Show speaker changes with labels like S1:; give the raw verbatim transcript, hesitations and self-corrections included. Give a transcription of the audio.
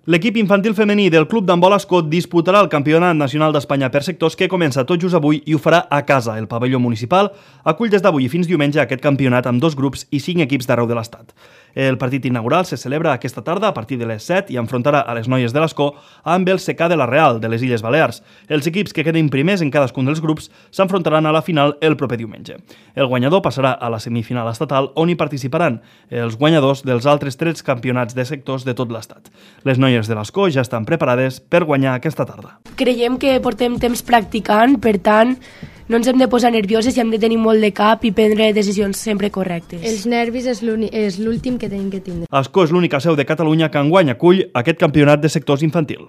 S1: L'equip infantil femení del Club d'Handbol Ascó disputarà el Campionat Nacional d'Espanya per sectors que comença tot just avui i ho farà a casa. El pavelló municipal acull des d'avui i fins diumenge aquest campionat amb dos grups i cinc equips d'arreu de l'Estat. El partit inaugural se celebra aquesta tarda a partir de les set i enfrontarà a les noies de l'Ascó amb el C K de la Real, de les Illes Balears. Els equips que queden primers en cadascun dels grups s'enfrontaran a la final el proper diumenge. El guanyador passarà a la semifinal estatal on hi participaran els guanyadors dels altres tres campionats de sectors de tot l'Estat. Les noies de l'Ascó ja estan preparades per guanyar aquesta tarda.
S2: Creiem que portem temps practicant, per tant, no ens hem de posar nervioses i hem de tenir molt de cap i prendre decisions sempre correctes.
S3: Els nervis és l'últim que tenim que tindre.
S1: Ascó és l'única seu de Catalunya que enguany acull aquest campionat de sectors infantil.